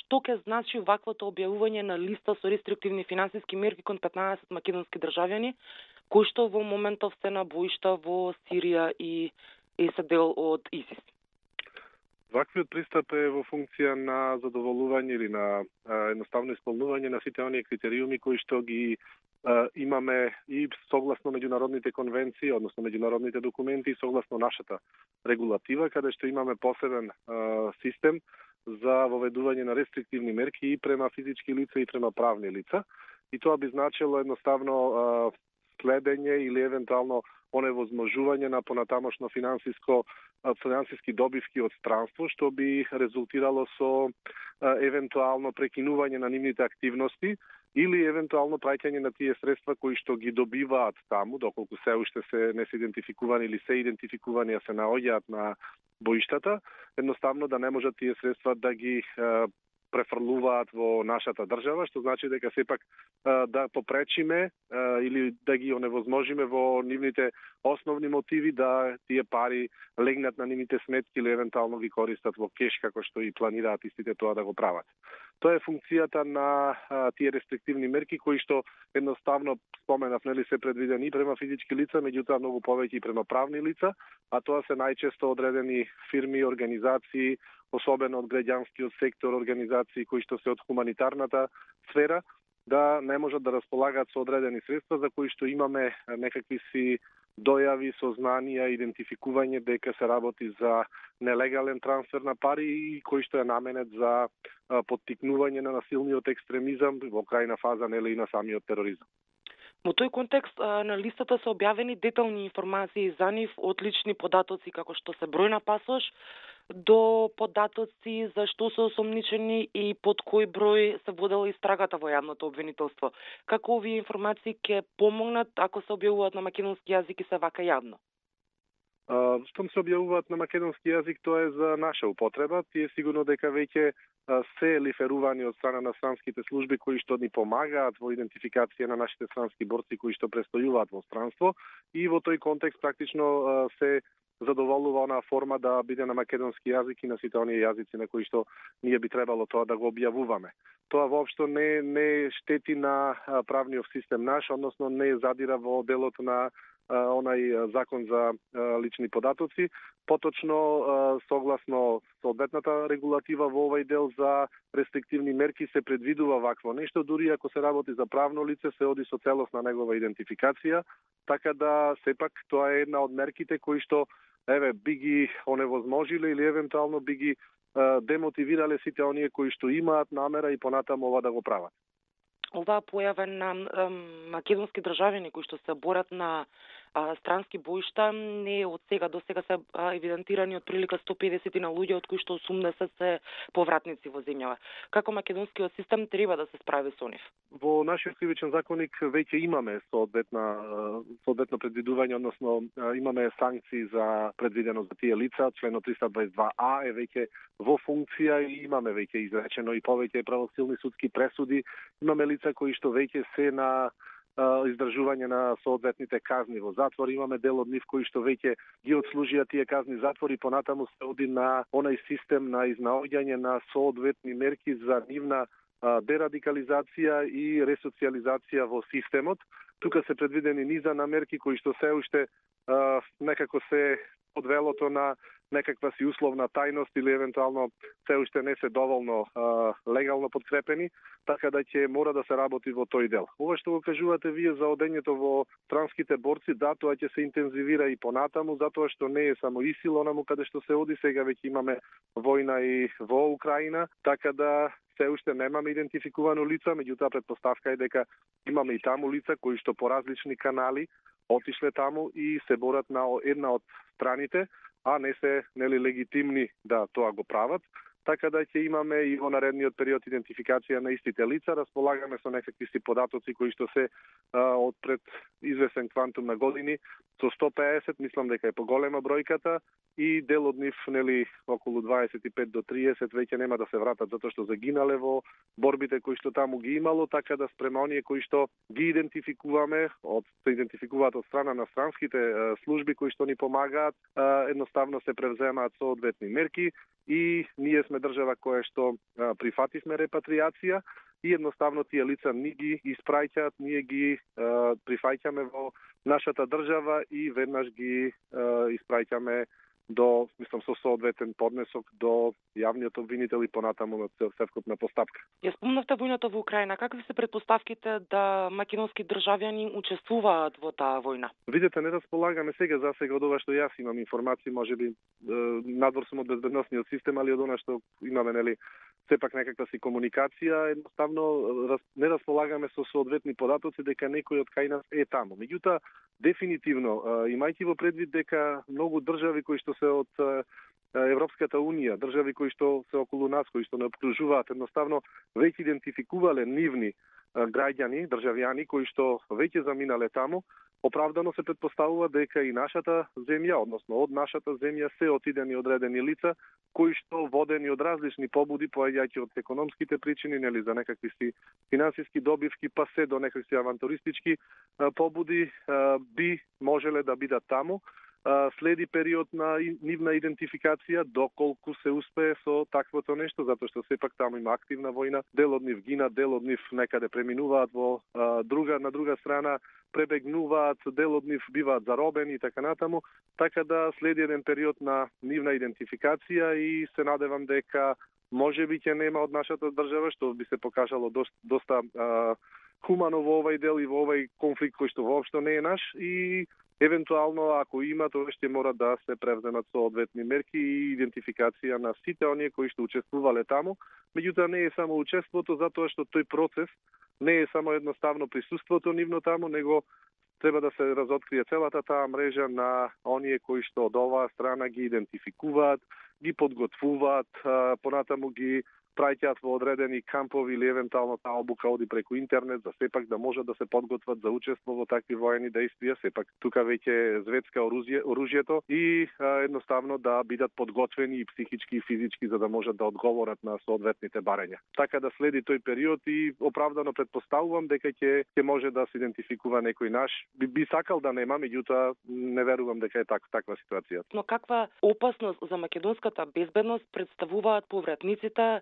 што ќе значи ваквото објавување на листа со рестриктивни финансиски мерки кон 15 македонски државјани, кои што во моментов се на боишта во Сирија и се дел од ИСИС? Ваквиот пристап е во функција на задоволување или на едноставно исполнување на сите оние критериуми кои што ги имаме и согласно меѓународните конвенции, односно меѓународните документи, и согласно нашата регулатива, каде што имаме посебен систем за воведување на рестриктивни мерки и према физички лица и према правни лица. И тоа би значило едноставно следење или евентуално оневозможување на понатамошно финансиски добивки од странство, што би резултирало со евентуално прекинување на нивните активности или евентуално праќање на тие средства кои што ги добиваат таму, доколку се уште не се идентификувани или се идентификувани, а се наоѓаат на боиштата, едноставно да не можат тие средства да ги префрлуваат во нашата држава, што значи дека сепак да попречиме или да ги оневозможиме во нивните основни мотиви да тие пари легнат на нивните сметки или евентуално ги користат во кеш како што и планираат истите тоа да го прават. Тоа е функцијата на тие рестриктивни мерки кои што едноставно споменав, нели, се предвидени и према физички лица, меѓутоа многу повеќе и према правни лица, а тоа се најчесто одредени фирми, организации, особено од граѓанскиот сектор, организации кои што се од хуманитарната сфера, да не можат да располагаат со одредени средства за кои што имаме некакви си дојави, сознанија, идентификување дека се работи за нелегален трансфер на пари и кој што е наменет за поттикнување на насилниот екстремизам во крајна фаза, нели, и на самиот тероризам. Во тој контекст на листата се објавени детални информации за нив, од лични податоци како што се број на пасош, до податоци за што се осомничени и под кој број се водела истрагата во јавното обвинителство. Како овие информации ќе помогнат ако се објавуваат на македонски јазик и се вака јавно? Штом се објавуваат на македонски јазик, тоа е за наша употреба. Тие сигурно дека веќе се лиферувани од страна на странските служби кои што ни помагаат во идентификација на нашите странски борци кои што престојуваат во странство, и во тој контекст практично се задоволува онаа форма да биде на македонски јазик и на сите оние јазици на кои што ние би требало тоа да го објавуваме. Тоа воопшто не штети на правниот систем наш, односно не задира во делот на онај закон за лични податоци. Поточно, согласно соодветната регулатива во овај дел за рестриктивни мерки се предвидува вакво нешто, дури ако се работи за правно лице, се оди со целосна негова идентификација, така да сепак тоа е една од мерките кои што би ги оневозможиле или евентуално би ги демотивирале сите оние кои што имаат намера и понатаму ова да го прават. Оваа појава на македонски државјани кои што се борат на странски боишта не е од сега. До сега се евидентирани од прилика 150 на луѓе, од кои што 80 се повратници во земјава. Како македонскиот систем треба да се справи со нив? Во нашиот кривичен законник веќе имаме соодветно предвидување, односно имаме санкции за предвидено за тие лица. Членот 322а е веќе во функција и имаме веќе изречено и повеќе правосилни судски пресуди. Имаме лица кои што веќе се на издржување на соодветните казни во затвор. Имаме дел од нив кои што веќе ги отслужија тие казни затвори, понатаму се оди на онај систем на изнаоѓање на соодветни мерки за нивна дерадикализација и ресоциализација во системот. Тука се предвидени низа на мерки кои што се уште некако се под велото на некаква си условна тајност или евентуално се уште не се доволно легално подкрепени, така да ќе мора да се работи во тој дел. Ова што го кажувате вие за одењето во странските борци, да, тоа ќе се интензивира и понатаму, затоа што не е само ИСИЛ онаму каде што се оди, сега веќе имаме војна и во Украина, така да се уште немаме идентификувано лица, меѓутоа претпоставка е дека имаме и таму лица кои што по различни канали отишле таму и се борат на една од страните, а не се легитимни да тоа го прават. Така да ќе имаме и во наредниот период идентификација на истите лица, располагаме со некакви си податоци кои што се од пред извесен квантум на години, со 150, мислам дека е поголема бројката, и дел од нив, околу 25 до 30 веќе нема да се вратат затоа што загинале во борбите кои што таму ги имало, така да спрема оние кои што ги идентификуваме, се идентификуваат од страна на странските служби кои што ни помагаат, едноставно се превземаат соодветни мерки и ние сме сме држава која што прифативме репатриација и едноставно тие лица ни ги испраќаат, ние ги прифаќаме во нашата држава и веднаш ги испраќаме до, мислам, со соодветен поднесок до јавниот обвинител и понатаму на целокупна постапка. Ја спомнавте војната во Украина. Какви се претпоставките да македонски државјани учествуваат во таа војна? Видете, не располагаме сега од ова што јас имам информации, можеби надвор сум од безбедносниот систем, али од она што имаме, нели, сепак некаква си комуникација, едноставно не располагаме со соодветни податоци дека некој од кај нас е таму. Меѓутоа, дефинитивно, имајќи во предвид дека многу држави кои што се од Европската Унија, држави кои што се околу нас, кои што не обкружуваат, едноставно веќе идентификувале нивни граѓани, државјани кои што веќе заминале таму, оправдано се претпоставува дека и нашата земја, односно од нашата земја се отидени одредени лица кои што водени од различни побуди, поаѓајќи од економските причини, нели, за некакви си финансиски добивки, па се до некакви авантуристички побуди, би можеле да бидат таму. Следи период на нивна идентификација доколку се успее со таквото нешто, затоа што сепак таму има активна војна, дел од нив гинат, дел од нив некаде преминуваат во на друга страна, пребегнуваат, дел од нив биваат заробени и така натаму, така да следи еден период на нивна идентификација и се надевам дека можеби ќе нема од нашата држава, што би се покажало доста хумано во овај дел и во овај конфликт кој што воопшто не е наш и евентуално, ако има, тоа ќе мора да се превземат соодветни мерки и идентификација на сите оние кои што учествувале таму. Меѓутоа, не е само учеството, затоа што тој процес не е само едноставно присуството нивно таму, него треба да се разоткрие целата таа мрежа на оние кои што од оваа страна ги идентификуваат, ги подготвуваат, понатаму ги праќаат во одредени кампови или евентуално таа обука оди преку интернет, за сепак да можат да се подготват за учество во такви воени дејствија, сепак тука веќе зветска оружјето и едноставно да бидат подготвени и психички и физички за да можат да одговорат на соодветните барања. Така да следи тој период и оправдано претпоставувам дека ќе може да се идентификува некој наш. Би сакал да нема, меѓутоа не верувам дека е таква ситуација. Но каква опасност за македонската безбедност представуваат повратниците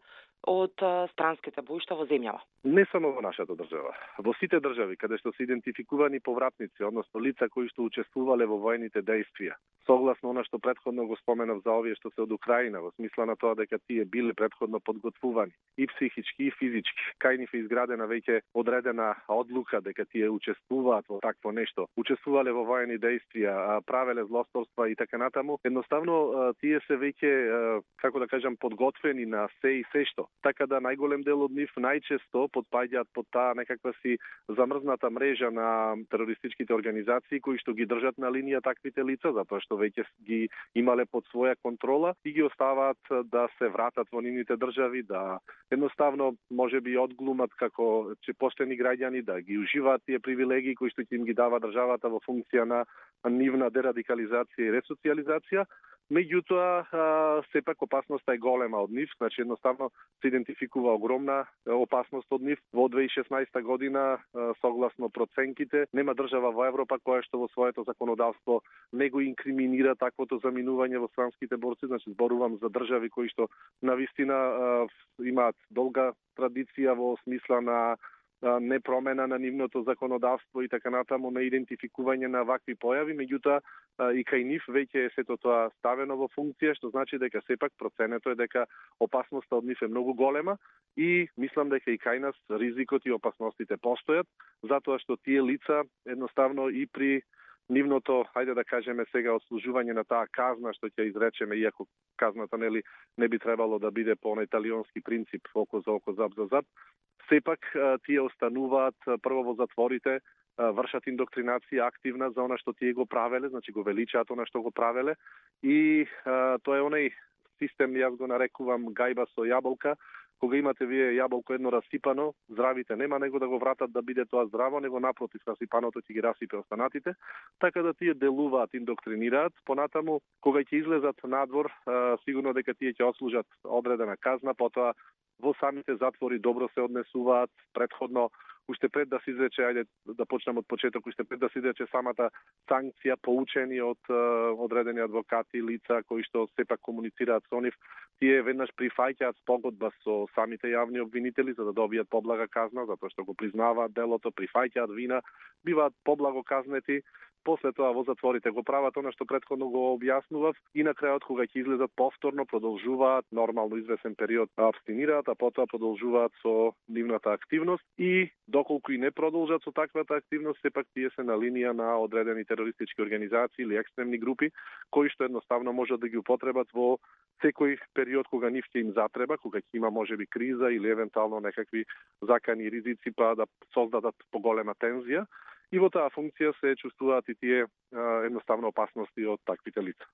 од странските боишта во земјава? Не само во нашата држава. Во сите држави каде што се идентификувани повратници, односно лица кои што учествувале во војните дејствија, согласно она што претходно го споменав за овие што се од Украина, во смисла на тоа дека тие биле претходно подготвувани и психички и физички. Кај нив е изградена веќе одредена одлука дека тие учествуваат во такво нешто, учествувале во воени дејствија, правеле злосторства и така натаму. Едноставно тие се веќе, како да кажам, подготвени на се и се што. Така да најголем дел од нив најчесто подпаѓаат под таа некаква си замрзната мрежа на терористичките организации кои што ги држат на линија таквите лица, затоа што веќе ги имале под своја контрола и ги оставаат да се вратат во нивните држави, да едноставно можеби одглумат како поштени граѓани, да ги уживаат тие привилегии кои што ќе им ги дава државата во функција на нивна дерадикализација и ресоциализација. Меѓутоа, сепак опасноста е голема од нив, значи едноставно се идентификува огромна опасност од нив. Во 2016 година, согласно проценките, нема држава во Европа која што во своето законодавство не го инкриминира таквото заминување во странските борци, значи зборувам за држави кои што навистина имаат долга традиција во смисла на непромена на нивното законодавство и така натаму на идентификување на вакви појави, меѓутоа и кај нив веќе е сето тоа ставено во функција, што значи дека сепак проценето е дека опасноста од нив е многу голема и мислам дека и кај нас ризикот и опасностите постојат, затоа што тие лица едноставно и при нивното, хајде да кажеме сега, отслужување на таа казна што ќе изречеме, иако казната не би требало да биде по италијански принцип око за око, зап за зап, сепак тие остануваат прво во затворите, вршат индоктринација активна за она што тие го правеле, значи го величаат она што го правеле и тоа е онај систем, јас го нарекувам гајба со јаболка, кога имате вие јаболко едно расипано, здравите нема него да го вратат да биде тоа здраво, него напротив расипаното ќе ги расипе останатите, така да тие делуваат, индоктринираат, понатаму кога ќе излезат надвор, сигурно дека тие ќе отслужат одредена казна, потоа во самите затвори добро се однесуваат, претходно уште пред да се изрече, ајде да почнем од почеток, уште пред да се изрече самата санкција, поучени од одредени адвокати, лица кои што сепак комуницираат со нив, тие веднаш прифаќаат спогодба со самите јавни обвинители за да добијат поблага казна, затоа што го признаваат делото, прифаќаат вина, биваат поблаго казнети. После тоа во затворите го прават она што претходно го објаснував и на крајот кога ќе излезат повторно продолжуваат нормално извесен период абстинираат, а потоа продолжуваат со нивната активност и доколку и не продолжат со таквата активност, сепак тие се на линија на одредени терористички организации или екстремни групи кои што едноставно можат да ги употребат во секој период кога нив ќе им затреба, кога ќе има можеби криза или евентуално некакви закани ризици па да создадат поголема тензија. И во таа функција се чувствуваат и тие едноставно опасности од таквите лица.